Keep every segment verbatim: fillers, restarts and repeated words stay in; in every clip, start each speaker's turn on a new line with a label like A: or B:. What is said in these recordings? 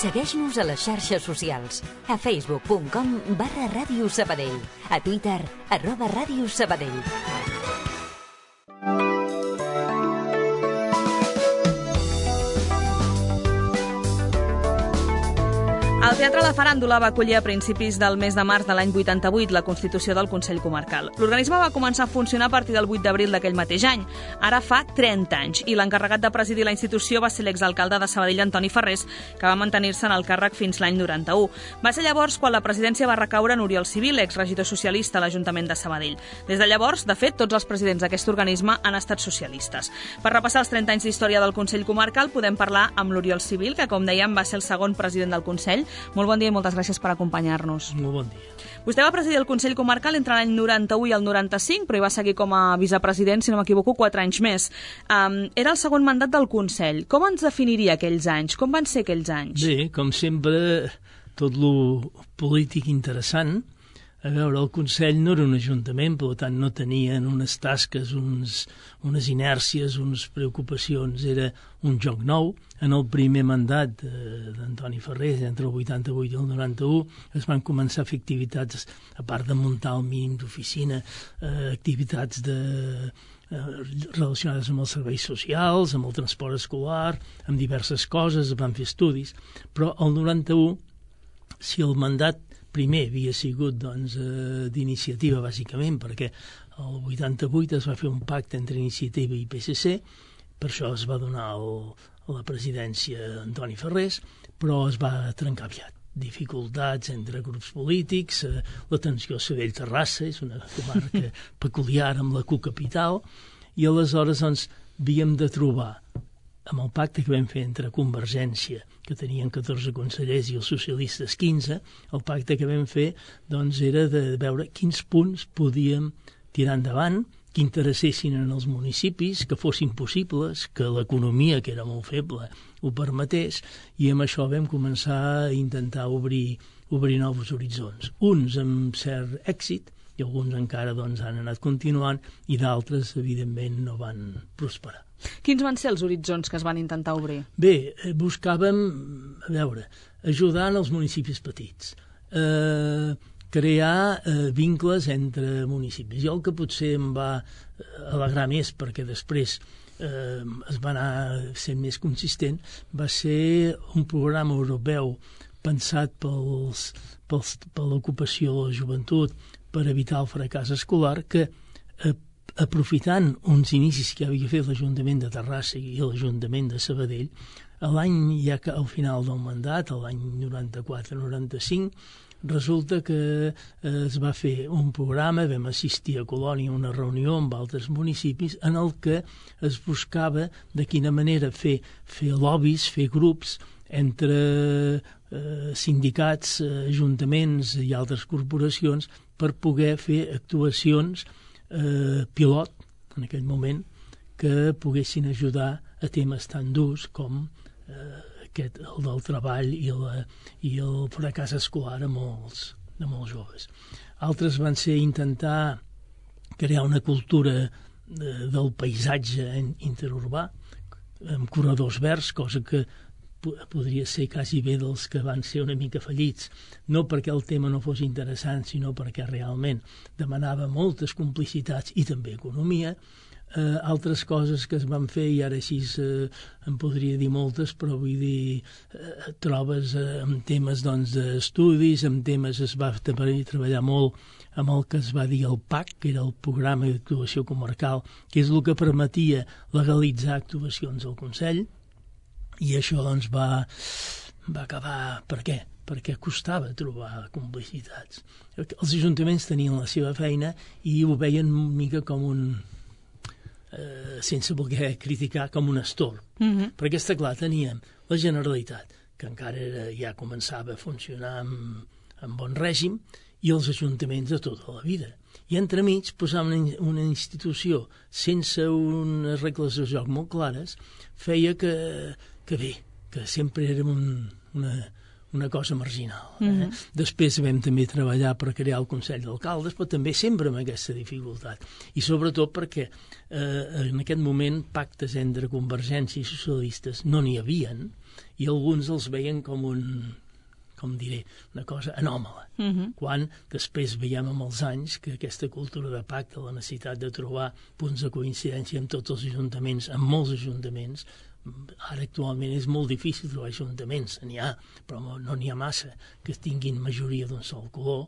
A: Segueix-nos a les xarxes socials. A facebook punt com barra Ràdio Sabadell. A Twitter, arroba Ràdio Sabadell.
B: El Teatre La Faràndula va acollir a principis del mes de març de l'any vuitanta-vuit la constitució del Consell Comarcal. L'organisme va començar a funcionar a partir del vuit d'abril d'aquell mateix any. Ara fa trenta anys, i l'encarregat de presidir la institució va ser l'exalcalde de Sabadell, Antoni Ferrés, que va mantenir-se en el càrrec fins l'any noranta-u. Va ser llavors quan la presidència va recaure en Oriol Civil, exregidor socialista a l'Ajuntament de Sabadell. Des de llavors, de fet, tots els presidents d'aquest organisme han estat socialistes. Per repassar els trenta anys d'història del Consell Comarcal, podem parlar amb l'Oriol Civil, que, com dèiem, va ser el segon president del Consell. Molt bon dia i moltes gràcies per acompanyar-nos.
C: Molt bon dia.
B: Vostè va presidir el Consell Comarcal entre l'any noranta-u i el noranta-cinc, però hi va seguir com a vicepresident, si no m'equivoco, quatre anys més. Um, era el segon mandat del Consell. Com ens definiria aquells anys? Com van ser aquells anys?
C: Bé, com sempre, tot lo polític interessant. A veure, el Consell no era un ajuntament, per tant no tenien unes tasques, uns, unes inèrcies, unes preocupacions. Era un joc nou. En el primer mandat eh, d'Antoni Ferrés, entre el vuitanta-vuit i el noranta-u, es van començar a fer activitats, a part de muntar el mínim d'oficina, eh, activitats de, eh, relacionades amb els serveis socials, amb el transport escolar, amb diverses coses, es van fer estudis. Però el noranta-u, si el mandat primer havia sigut doncs, eh, d'iniciativa, bàsicament, perquè el vuitanta-vuit es va fer un pacte entre Iniciativa i P S C, per això es va donar el, a la presidència d'Antoni Ferrés, però es va trencar aviat. Dificultats entre grups polítics, eh, la tensió a Sabadell-Terrassa, és una comarca peculiar amb la cocapital, i aleshores doncs, havíem de trobar, amb el pacte que vam fer entre Convergència, que tenien catorze consellers, i els socialistes quinze, el pacte que vam fer doncs, era de veure quins punts podíem tirar endavant, que interessessin en els municipis, que fossin possibles, que l'economia, que era molt feble, ho permetés, i amb això vam començar a intentar obrir, obrir nous horitzons. Uns amb cert èxit, i alguns encara doncs, han anat continuant, i d'altres, evidentment, no van prosperar.
B: Quins van ser els horitzons que es van intentar obrir?
C: Bé, buscàvem, a veure, ajudar en els municipis petits, eh, crear eh, vincles entre municipis. Jo el que potser em va alegrar més, perquè després eh, es va anar sent més consistent, va ser un programa europeu pensat pels, pels, per l'ocupació de la joventut, per evitar el fracàs escolar, que eh, aprofitant uns inicis que havia fet l'Ajuntament de Terrassa i l'Ajuntament de Sabadell, l'any ja que al final del mandat, l'any noranta-quatre noranta-cinc, resulta que eh, es va fer un programa, vam assistir a Colònia a una reunió amb altres municipis, en el que es buscava de quina manera fer, fer lobbies, fer grups entre eh, sindicats, eh, ajuntaments i altres corporacions per poder fer actuacions Eh, pilot, en aquell moment, que poguessin ajudar a temes tan durs com eh, aquest, el del treball i, la, i el fracàs escolar a molts, a molts joves. Altres van ser intentar crear una cultura eh, del paisatge interurbà, amb corredors verds, cosa que podria ser quasi bé dels que van ser una mica fallits, no perquè el tema no fos interessant, sinó perquè realment demanava moltes complicitats i també economia. Eh, altres coses que es van fer, i ara així eh, en podria dir moltes, però vull dir, eh, trobes eh, amb temes doncs, d'estudis, amb temes es va treballar molt amb el que es va dir el P A C, que era el Programa d'Actuació Comarcal, que és el que permetia legalitzar actuacions al Consell. I això doncs, va, va acabar... Per què? Perquè costava trobar complicitats. Els ajuntaments tenien la seva feina i ho veien una mica com un... Eh, sense voler criticar, com un estorb. Mm-hmm. Perquè està clar, teníem la Generalitat, que encara era, ja començava a funcionar amb, amb bon règim, i els ajuntaments de tota la vida. I entremig posar una, una institució sense unes regles de joc molt clares feia que, que bé, que sempre érem un, una, una cosa marginal. Eh?
B: Mm-hmm.
C: Després vam també treballar per crear el Consell d'Alcaldes, però també sempre amb aquesta dificultat. I sobretot perquè eh, en aquest moment pactes entre Convergència i socialistes no n'hi havien i alguns els veien com un, com diré, una cosa anòmala.
B: Mm-hmm. Quan
C: després veiem amb els anys que aquesta cultura de pacte, la necessitat de trobar punts de coincidència amb tots els ajuntaments, amb molts ajuntaments, ara actualment és molt difícil trobar ajuntaments, n'hi ha, però no n'hi ha massa que tinguin majoria d'un sol color,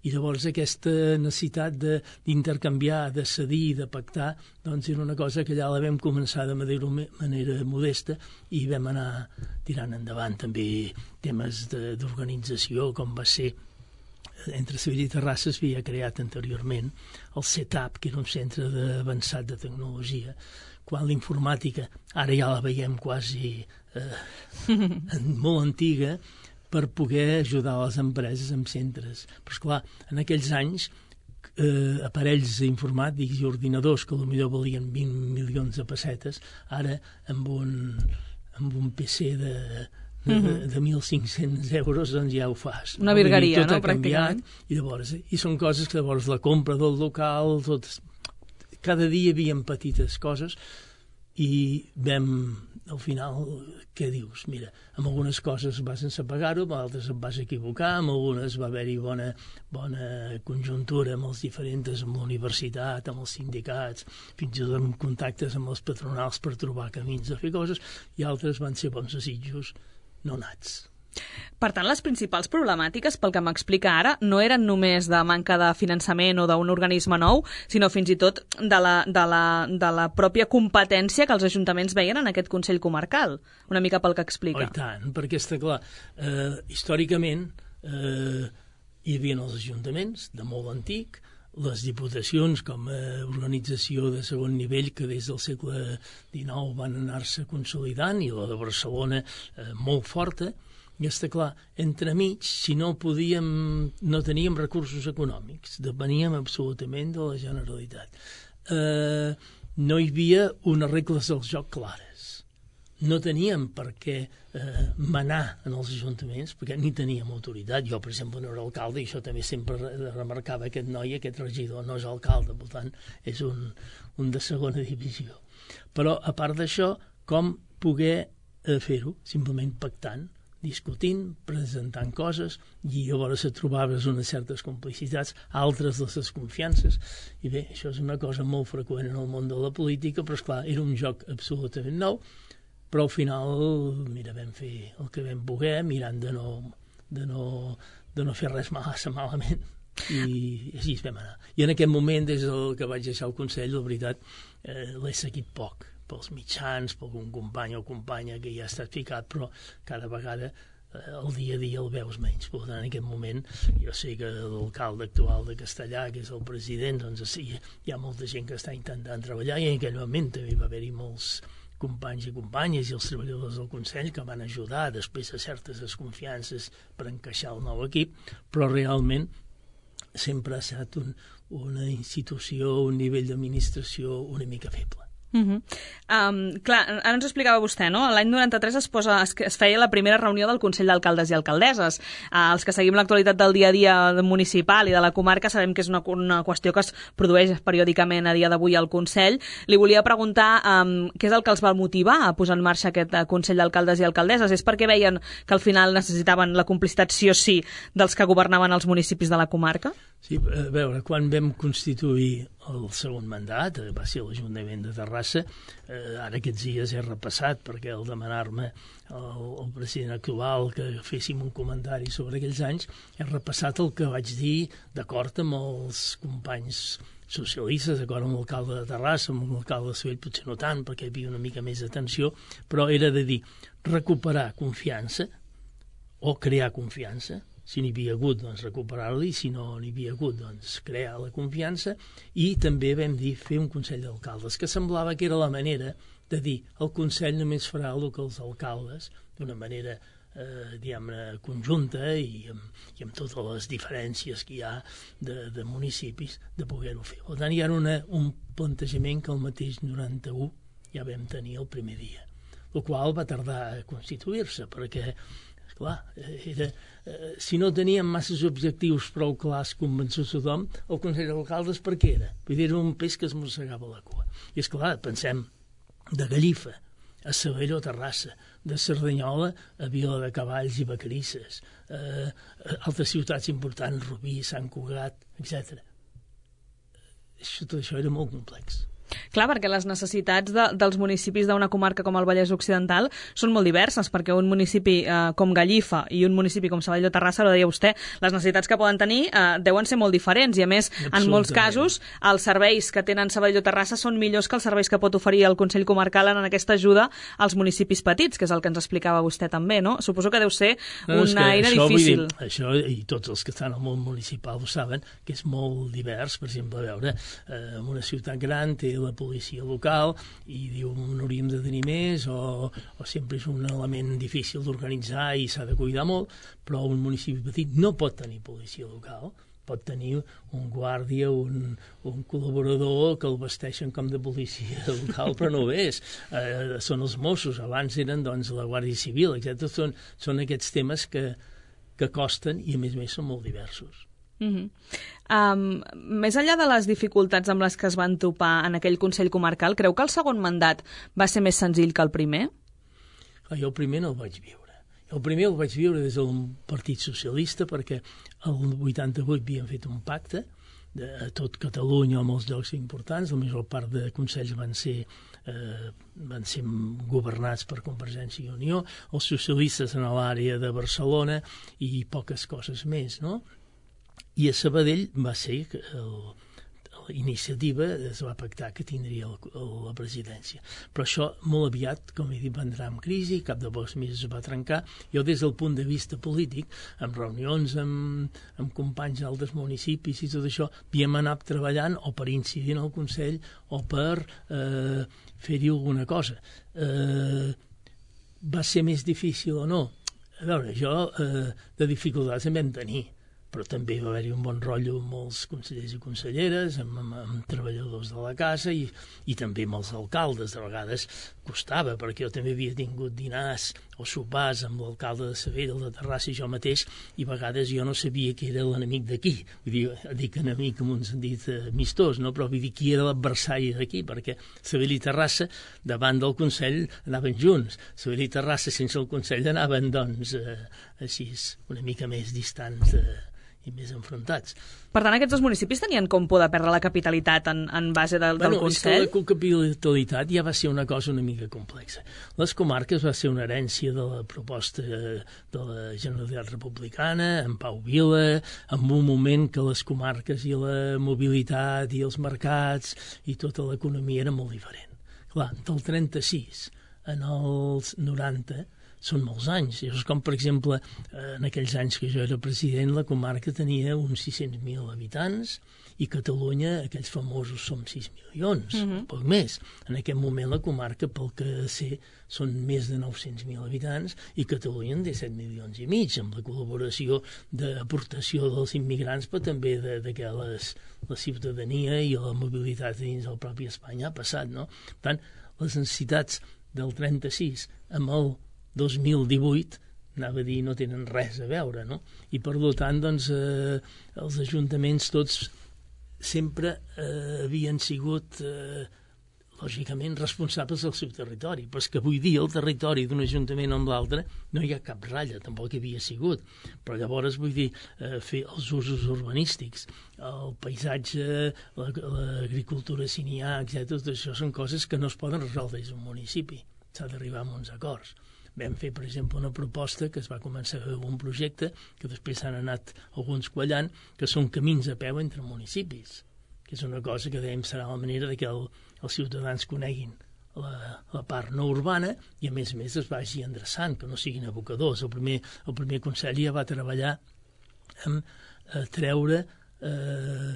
C: i llavors aquesta necessitat d'intercanviar, de, de cedir, de pactar, doncs era una cosa que ja la vam començar de manera, manera modesta i vam anar tirant endavant també temes d'organització, com va ser entre Sevilla i Terrassa es havia creat anteriorment el CETAP, que era un centre avançat de tecnologia, quan l'informàtica ara ja la veiem quasi eh, molt antiga, per poder ajudar les empreses amb centres. Però, esclar, en aquells anys, eh, aparells informàtics i ordinadors que potser valien vint milions de pessetes, ara amb un, amb un P C de, de, de, de mil cinc-cents euros doncs ja ho fas.
B: Una virgueria,
C: tot
B: no?
C: Ha canviat, i, llavors, i són coses que llavors la compra del local, tot, cada dia hi havia petites coses i vam, al final, què dius? Mira, amb algunes coses vas sense pagar-ho, amb altres et vas equivocar, amb algunes va haver-hi bona, bona conjuntura amb els diferents, amb la universitat, amb els sindicats, fins i tot amb contactes amb els patronals per trobar camins de fer coses, i altres van ser bons desitjos no nats.
B: Per tant, les principals problemàtiques, pel que m'explica ara, no eren només de manca de finançament o d'un organisme nou, sinó fins i tot de la, de la, de la pròpia competència que els ajuntaments veien en aquest Consell Comarcal, una mica pel que explica.
C: Oh, i tant, perquè està clar, eh, històricament eh, hi havia els ajuntaments de molt antic, les diputacions com a organització de segon nivell que des del segle dinou van anar-se consolidant, i la de Barcelona eh, molt forta. I està clar, entremig, si no podíem, no teníem recursos econòmics, depeníem absolutament de la Generalitat. Eh, no hi havia unes regles del joc clares. No teníem per què eh, manar en els ajuntaments, perquè ni teníem autoritat. Jo, per exemple, no era alcalde, i això també sempre remarcava aquest noi, aquest regidor, no és alcalde, per tant, és un, un de segona divisió. Però, a part d'això, com poder eh, fer-ho? Simplement pactant, discutint, presentant coses, i llavors et trobaves unes certes complicitats, altres les desconfiances, i bé, això és una cosa molt freqüent en el món de la política, però esclar, era un joc absolutament nou, però al final, mira, vam fer el que vam poder, mirant de no, de no, de no fer res massa malament, i així vam anar. I en aquest moment, des del que vaig deixar el Consell, la veritat, eh, l'he seguit poc, pels mitjans, per algun company o companya que ja ha estat ficat, però cada vegada eh, el dia a dia el veus menys. Per tant, en aquest moment, jo sé que l'alcalde actual de Castellà, que és el president, doncs sí, hi ha molta gent que està intentant treballar, i en aquell moment també va haver-hi molts companys i companyes i els treballadors del Consell que van ajudar després de certes desconfiances per encaixar el nou equip, però realment sempre ha estat un, una institució, un nivell d'administració una mica feble.
B: Uh-huh. Um, clar, ara ens explicava vostè, no? L'any noranta-tres es, posa, es, es feia la primera reunió del Consell d'Alcaldes i Alcaldesses. Uh, els que seguim l'actualitat del dia a dia municipal i de la comarca sabem que és una, una qüestió que es produeix periòdicament a dia d'avui al Consell. Li volia preguntar um, què és el que els va motivar a posar en marxa aquest uh, Consell d'Alcaldes i Alcaldesses. És perquè veien que al final necessitaven la complicitat sí o sí dels que governaven els municipis de la comarca?
C: Sí, a veure, quan vam constituir el segon mandat, va ser l'Ajuntament de Terrassa, eh, ara aquests dies he repassat, perquè al demanar-me el, el president actual que féssim un comentari sobre aquells anys, he repassat el que vaig dir d'acord amb els companys socialistes, d'acord amb l'alcalde de Terrassa, amb l'alcalde de Sabell potser no tant, perquè hi havia una mica més d'atenció, però era de dir recuperar confiança o crear confiança. Si n'hi havia hagut, doncs recuperar-la, i si no n'hi havia hagut, doncs crear la confiança, i també vam dir fer un Consell d'Alcaldes, que semblava que era la manera de dir el Consell només farà el que els alcaldes, d'una manera eh, diguem-ne conjunta i amb, i amb totes les diferències que hi ha de, de municipis, de poder-ho fer. Per tant, hi ha una, un plantejament que el mateix noranta-u ja vam tenir el primer dia, el qual va tardar a constituir-se, perquè Clar, era, eh, si no teníem masses objectius prou clars convençuts tothom, el Consell d'Alcaldes per què era? Vull dir, era un peix que es mossegava la cua. I és clar, pensem de Gallifa a Sabadell o Terrassa, de Cerdanyola a Vila de Cavalls i Vacarisses, eh, altres ciutats importants, Rubí, Sant Cugat, etcètera. Tot això era molt complex.
B: Clar, perquè les necessitats de, dels municipis d'una comarca com el Vallès Occidental són molt diverses, perquè un municipi eh, com Gallifa i un municipi com Sabadell o Terrassa, ho deia vostè, les necessitats que poden tenir eh, deuen ser molt diferents, i a més, en molts casos, els serveis que tenen Sabadell o Terrassa són millors que els serveis que pot oferir el Consell Comarcal en aquesta ajuda als municipis petits, que és el que ens explicava vostè també, no? Suposo que deu ser no, una eina això, difícil.
C: Dir, això, i tots els que estan al món municipal ho saben, que és molt divers. Per exemple, a veure, eh, una ciutat gran té la policia local i diu n'hauríem de tenir més o, o sempre és un element difícil d'organitzar i s'ha de cuidar molt, però un municipi petit no pot tenir policia local, pot tenir un guàrdia, un, un col·laborador que el vesteixen com de policia local, però no ho és. Eh, són els Mossos, abans eren doncs, la Guàrdia Civil, etcètera. Són, són aquests temes que, que costen i a més a més són molt diversos.
B: Uh-huh. Um, més enllà de les dificultats amb les que es van topar en aquell Consell Comarcal, creu que el segon mandat va ser més senzill que el primer?
C: Clar, jo el primer no el vaig viure. El primer el vaig viure des del Partit Socialista perquè el vuitanta-vuit havíem fet un pacte de, a tot Catalunya o molts llocs importants, la major part de consells van ser, eh, van ser governats per Convergència i Unió, els socialistes en l'àrea de Barcelona i poques coses més, no? I a Sabadell va ser el, l'iniciativa es va pactar que tindria el, el, la presidència. Però això molt aviat, com he dit, va entrar en crisi, cap de pocs mesos es va trencar. Jo des del punt de vista polític, amb reunions amb, amb companys d'altres municipis i tot això, havíem anat treballant o per incidir en el Consell o per eh, fer-hi alguna cosa. Eh, va ser més difícil o no? A veure, jo eh, de dificultats en vam tenir, però també va haver-hi un bon rotllo amb molts consellers i conselleres, amb, amb, amb treballadors de la casa i, i també amb els alcaldes. De vegades costava, perquè jo també havia tingut dinars o sopars amb l'alcalde de Sabadell, el de Terrassa i jo mateix, i a vegades jo no sabia qui era l'enemic d'aquí. Vull dir, dic enemic amb un sentit eh, amistós, no? Però vull dir qui era l'adversari d'aquí, perquè Sabadell i Terrassa davant del Consell anaven junts. Sabadell i Terrassa sense el Consell anaven, doncs, eh, així, una mica més distants de i més enfrontats.
B: Per tant, aquests dos municipis tenien com por de perdre la capitalitat en, en base del,
C: bueno,
B: del Consell?
C: És que la capitalitat ja va ser una cosa una mica complexa. Les comarques va ser una herència de la proposta de la Generalitat Republicana, en Pau Vila, en un moment que les comarques i la mobilitat i els mercats i tota l'economia era molt diferent. Clar, del trenta-sis en els noranta són molts anys. És com, per exemple, en aquells anys que jo era president, la comarca tenia uns sis-cents mil habitants i Catalunya, aquells famosos, som sis milions, uh-huh. poc més. En aquest moment la comarca, pel que sé, són més de nou-cents mil habitants i Catalunya en té set milions i mig, amb la col·laboració d'aportació dels immigrants, però també de, de que les, la ciutadania i la mobilitat dins del propi Espanya ha passat, no? Per tant, les necessitats del trenta-sis amb el dos mil divuit, anava a dir, no tenen res a veure, no? I per tant, doncs, eh, els ajuntaments tots sempre eh, havien sigut, eh, lògicament, responsables del seu territori, però és que avui dia el territori d'un ajuntament amb l'altre no hi ha cap ratlla, tampoc hi havia sigut. Però llavors, vull dir, eh, fer els usos urbanístics, el paisatge, l'agricultura sinià, etcètera, tot això són coses que no es poden resoldre des d'un municipi. S'ha d'arribar a uns acords. Vam fer, per exemple, una proposta que es va començar a fer un projecte que després s'han anat alguns quallant, que són camins a peu entre municipis, que és una cosa que dèiem serà la manera de que el, els ciutadans coneguin la, la part no urbana i, a més a més, es vagi endreçant, que no siguin abocadors. El primer, el primer Consell ja va treballar en eh, treure eh,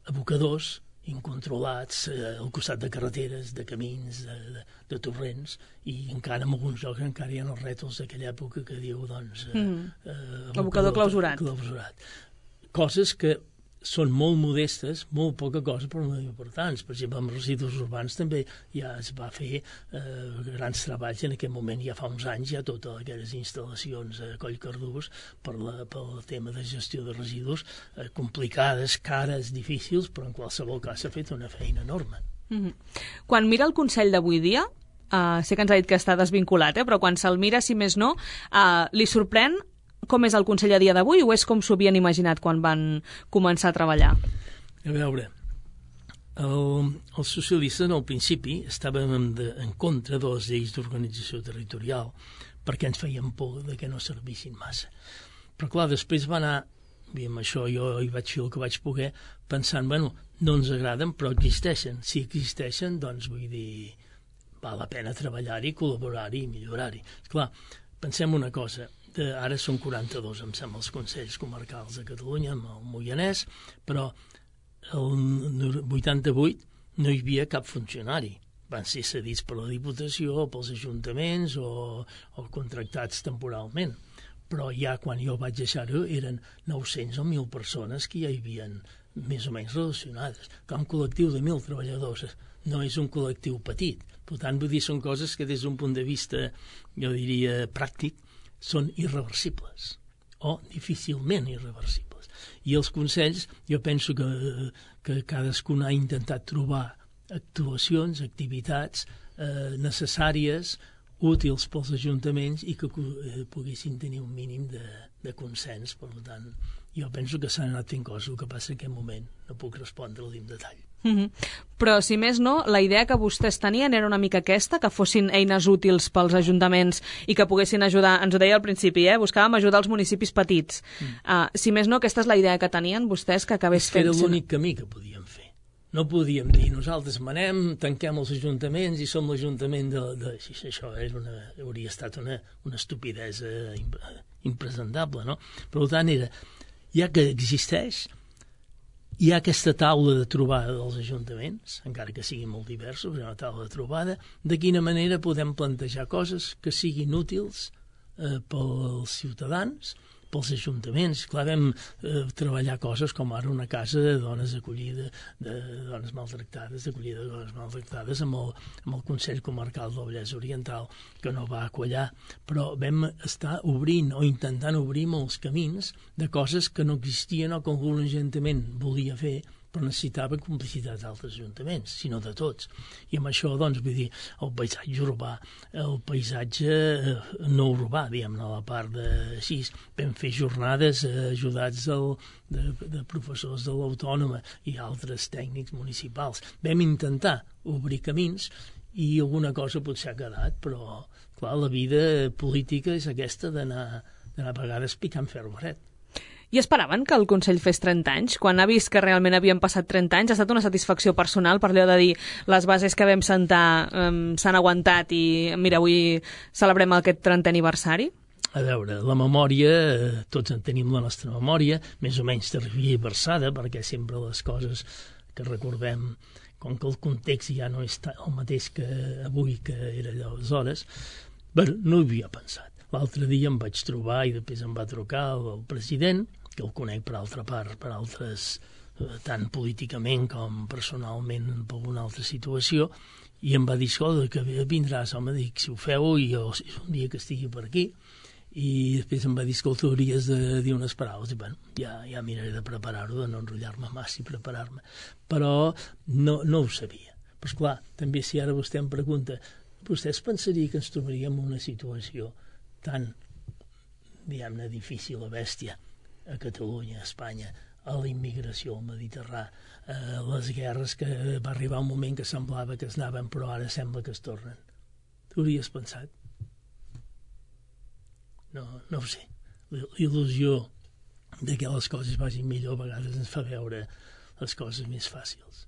C: abocadors incontrolats eh, al costat de carreteres, de camins, de, de, de torrents, i encara en alguns llocs encara hi ha els rètols d'aquella època que diu, doncs... Eh,
B: mm.
C: eh,
B: abocador clausurat.
C: clausurat. Coses que són molt modestes, molt poca cosa, però molt importants. Per exemple, amb residus urbans també ja es va fer eh, grans treballs en aquest moment, ja fa uns anys, ja totes aquelles instal·lacions a Collcardús per la, pel tema de gestió de residus, eh, complicades, cares, difícils, però en qualsevol cas s'ha fet una feina enorme.
B: Mm-hmm. Quan mira el Consell d'avui dia, Uh, sé que ens ha dit que està desvinculat, eh? però quan se'l mira, si més no, uh, li sorprèn com és el Consell a dia d'avui o és com s'ho havien imaginat quan van començar a treballar?
C: A veure, el, els socialistes al principi estàvem en, de, en contra de les lleis d'organització territorial perquè ens feien por de que no servissin massa. Però clar, després va anar, i amb això jo hi vaig fer el que vaig poder, pensant, bueno, no ens agraden però existeixen. Si existeixen, doncs vull dir, val la pena treballar-hi, col·laborar-hi i millorar-hi. Clar, pensem una cosa, de, ara són quaranta-dos, em sembla, els Consells Comarcals de Catalunya, amb el Moianès, però el vuitanta-vuit no hi havia cap funcionari. Van ser cedits per la Diputació, pels ajuntaments o, o contractats temporalment. Però ja quan jo vaig deixar-ho eren nou-cents o mil persones que ja hi havien més o menys relacionades. Que un col·lectiu de mil treballadors no és un col·lectiu petit. Per tant, vull dir, són coses que des d'un punt de vista, jo diria, pràctic, són irreversibles o difícilment irreversibles. I els consells, jo penso que, que cadascun ha intentat trobar actuacions, activitats eh, necessàries, útils pels ajuntaments i que eh, poguessin tenir un mínim de, de consens. Per tant, jo penso que s'han anat fent coses, el que passa en aquest moment no puc respondre-li en detall.
B: Mm-hmm. Però, si més no, la idea que vostès tenien era una mica aquesta, que fossin eines útils pels ajuntaments i que poguessin ajudar, ens ho deia al principi, eh? buscàvem ajudar els municipis petits. Mm. Uh, si més no, aquesta és la idea que tenien vostès, que acabés fent...
C: Era l'únic camí que podíem fer. No podíem dir, nosaltres manem, tanquem els ajuntaments i som l'Ajuntament de... de... Si això era una, hauria estat una, una estupidesa impresentable, no? Per tant, era, ja que existeix, hi ha aquesta taula de trobada dels ajuntaments, encara que siguin molt diversos, hi ha una taula de trobada, de quina manera podem plantejar coses que siguin útils eh, pels ciutadans, pels ajuntaments. Clar, vam eh, treballar coses com ara una casa de dones d'acollida, de dones maltractades, d'acollida de dones maltractades amb el, amb el Consell Comarcal del Vallès Oriental, que no va acollar, però vam estar obrint o intentant obrir molts camins de coses que no existien o que algun ajuntament volia fer, però necessitava complicitat d'altres ajuntaments, sinó de tots. I amb això, doncs, vull dir, el paisatge urbà, el paisatge no urbà, diguem-ne, la part de així, vam fer jornades ajudats del, de, de professors de l'Autònoma i altres tècnics municipals. Vam intentar obrir camins i alguna cosa potser ha quedat, però, clar, la vida política és aquesta d'anar, d'anar a vegades picant ferro fred.
B: I esperaven que el Consell fes trenta anys? Quan ha vist que realment havien passat trenta anys, ha estat una satisfacció personal per allò de dir les bases que vam sentar um, s'han aguantat i, mira, avui celebrem aquest trentè aniversari?
C: A veure, la memòria, tots en tenim la nostra memòria, més o menys tergiversada, perquè sempre les coses que recordem, com que el context ja no és el mateix que avui que era aleshores, bueno, no hi havia pensat. L'altre dia em vaig trobar i després em va trucar el president, que el conec per altra part, per altres, tant políticament com personalment per alguna altra situació, i em va dir, escolta, que vindràs, home, dic, si ho feu, i jo, si és un dia que estigui per aquí, i després em va dir, escolta, hauries de dir unes paraules, i bueno, ja, ja miraré de preparar-ho, de no enrotllar-me massa i preparar-me, però no, no ho sabia. Però esclar, també si ara vostè em pregunta, vostè es pensaria que ens trobaríem en una situació tan, diguem-ne, difícil a bèstia a Catalunya, a Espanya, a la immigració al Mediterrani, a les guerres, que va arribar un moment que semblava que es anaven però ara sembla que es tornen. T'hauries pensat? No, no ho sé. Il·lusió de que les coses vagin millor a vegades ens fa veure les coses més fàcils.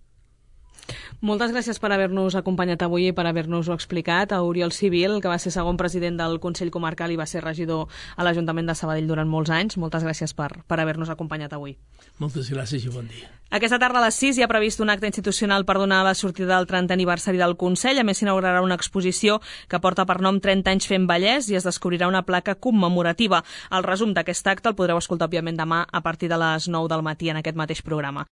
B: Moltes gràcies per haver-nos acompanyat avui i per haver-nos-ho explicat. A Oriol Civil, que va ser segon president del Consell Comarcal i va ser regidor a l'Ajuntament de Sabadell durant molts anys. Moltes gràcies per, per haver-nos acompanyat avui.
C: Moltes gràcies i bon dia.
B: Aquesta tarda a les sis hi ha previst un acte institucional per donar la sortida del trentè aniversari del Consell. A més, s'inaugurarà una exposició que porta per nom trenta anys fent Vallès i es descobrirà una placa commemorativa. El resum d'aquest acte el podreu escoltar, òbviament, demà a partir de les nou del matí en aquest mateix programa.